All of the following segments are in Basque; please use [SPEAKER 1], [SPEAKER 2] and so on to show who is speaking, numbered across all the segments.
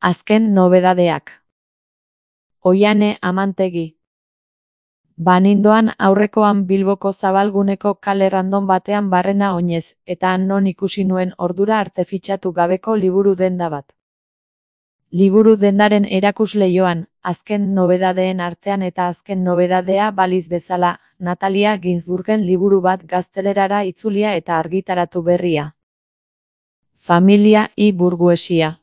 [SPEAKER 1] Azken nobedadeak. Oihane Amantegi. Banindoan aurrekoan Bilboko zabalguneko kale random batean barrena oinez, eta han non ikusi nuen ordura arte fitxatu gabeko liburu denda bat. Liburu dendaren erakusleioan, azken nobedadeen artean eta azken nobedadea baliz bezala, Natalia Ginzburgen liburu bat gaztelerara itzulia eta argitaratu berria. Familia y burguesia.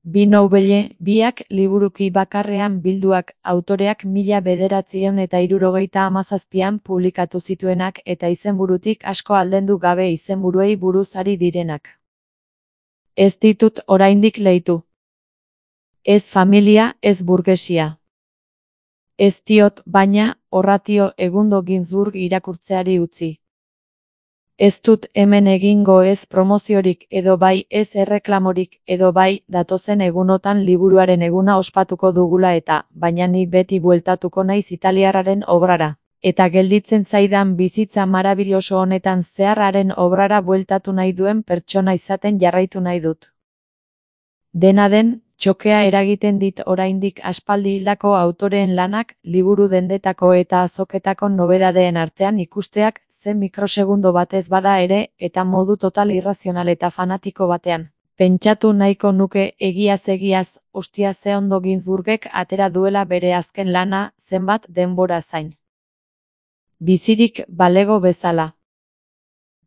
[SPEAKER 1] Bi nobele, biak liburuki bakarrean bilduak, autoreak 1977an publikatu zituenak eta izenburutik asko aldendu gabe izenburuei buruz ari direnak. Ez ditut oraindik leitu. Ez familia, ez burgesia. Ez diot, baina, horratio egundo Ginzburg irakurtzeari utzi. Ez dut hemen egingo ez promoziorik edo bai ez erreklamorik edo bai datozen egunotan liburuaren eguna ospatuko dugula eta, baina ni beti bueltatuko naiz italiarraren obrara. Eta gelditzen zaidan bizitza marabiloso honetan zeharraren obrara bueltatu nahi duen pertsona izaten jarraitu nahi dut. Dena den, txokea eragiten dit oraindik aspaldi hildako autoreen lanak, liburu dendetako eta azoketako nobedadeen artean ikusteak, zen mikrosegundo batez bada ere, eta modu total irrazional eta fanatiko batean. Pentsatu nahiko nuke egiaz, ostia ze ondo Ginzburgek atera duela bere azken lana, zenbat denbora zain. Bizirik balego bezala.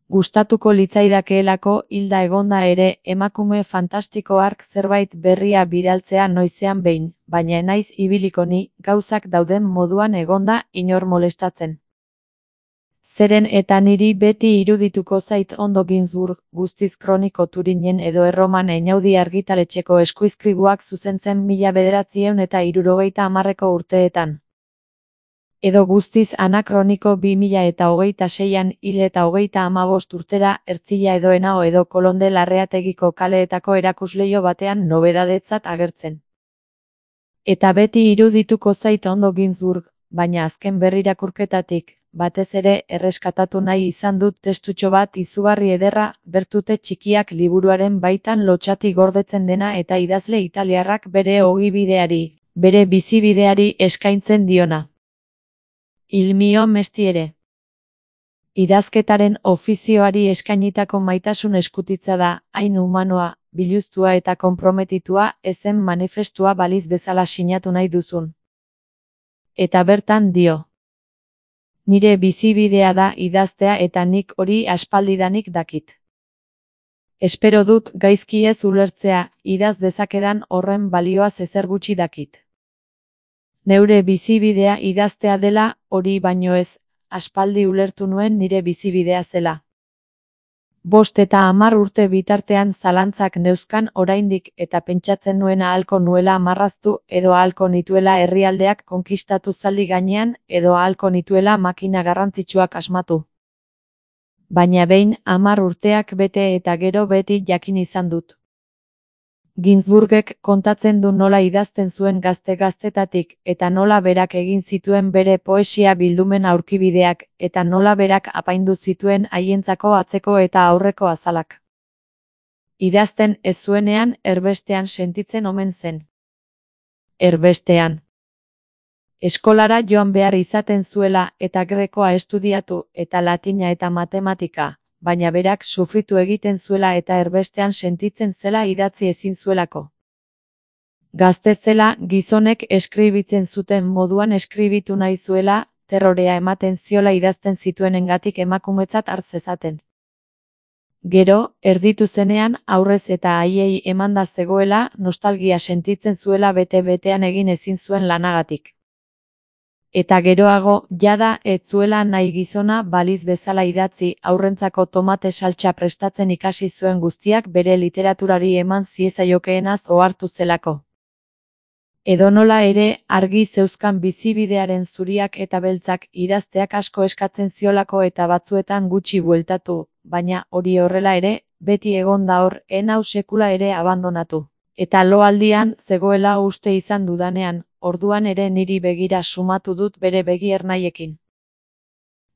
[SPEAKER 1] Gustatuko litzaidakeelako hilda egonda ere, emakume fantastiko hark zerbait berria bidaltzea noizean behin, baina naiz ibiliko ni, gauzak dauden moduan egonda inor molestatzen. Zeren eta niri beti irudituko zait ondo Ginzburg, guztiz kroniko Turinen edo Erroman Einaudi argitaletxeko eskuizkribuak zuzentzen 1970ko urteetan. Edo guztiz anakroniko 2026an hil eta 35 urtera, Ertzilla edo Henao edo Kolonde Larreategiko kaleetako erakusleio batean nobedadetzat agertzen. Eta beti irudituko zait ondo Ginzburg, baina azken berrirakurketatik, batez ere erreskatatu nahi izan dut testutxo bat izugarri ederra, bertute txikiak liburuaren baitan lotxati gordetzen dena eta idazle italiarrak bere ogibideari, bere bizibideari eskaintzen diona. Il mio mestiere. Idazketaren ofizioari eskainitako maitasun eskutitza da, hain humanoa, biluztua eta konprometitua, ezen manifestua baliz bezala sinatu nahi duzun. Eta bertan dio. Nire bizibidea da idaztea eta nik hori aspaldidanik dakit. Espero dut gaizki ez ulertzea, idaz dezakedan horren balioaz ezer gutxi dakit. Neure bizibidea idaztea dela, hori baino ez, aspaldi ulertu nuen nire bizibidea zela. 5 eta 10 urte bitartean zalantzak neuzkan oraindik eta pentsatzen nuena ahalko nuela marraztu edo ahalko nituela herrialdeak konkistatu zaldi gainean edo ahalko nituela makina garrantzitsuak asmatu. Baina behin 10 urteak bete eta gero beti jakin izan dut. Ginzburgek kontatzen du nola idazten zuen gazte-gaztetatik eta nola berak egin zituen bere poesia bildumen aurkibideak eta nola berak apaindu zituen haientzako atzeko eta aurreko azalak. Idazten ez zuenean erbestean sentitzen omen zen. Erbestean. Eskolara joan behar izaten zuela eta grekoa estudiatu eta latina eta matematika. Baina berak sufritu egiten zuela eta erbestean sentitzen zela idatzi ezin zuelako. Gazte zela, gizonek eskribitzen zuten moduan eskribitu nahi zuela, terrorea ematen ziola idazten zituenengatik emakumetzat har zezaten. Gero, erditu zenean, aurrez eta haiei emanda zegoela, nostalgia sentitzen zuela bete-betean egin ezin zuen lanagatik. Eta geroago, jada, ez zuela nahi gizona baliz bezala idatzi, aurrentzako tomate saltsa prestatzen ikasi zuen guztiak bere literaturari eman ziezaiokeenaz ohartu zelako. Edonola ere, argi zeuzkan bizibidearen zuriak eta beltzak idazteak asko eskatzen ziolako eta batzuetan gutxi bueltatu, baina hori horrela ere, beti egon da hor, enau sekula ere abandonatu. Eta loaldian zegoela uste izan dudanean, orduan ere niri begira sumatu dut bere begi ernaiekin.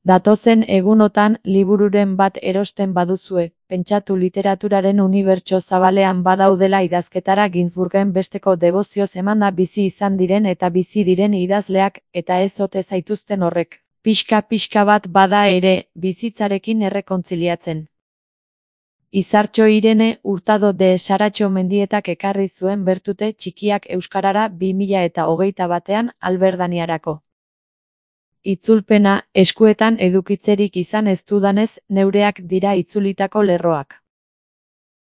[SPEAKER 1] Datozen egunotan libururen bat erosten baduzue, pentsatu literaturaren unibertso zabalean badaudela idazketara Ginsburgen besteko debozioz emanda bizi izan diren eta bizi diren idazleak, eta ez ote zaituzten horrek, pixka bat bada ere, bizitzarekin errekontziliatzen. Izartxo Irene Hurtado de Saratxo Mendietak ekarri zuen Bertute txikiak euskarara 2021 Alberdaniarako. Itzulpena, eskuetan edukitzerik izan ez dudanez, neureak dira itzulitako lerroak.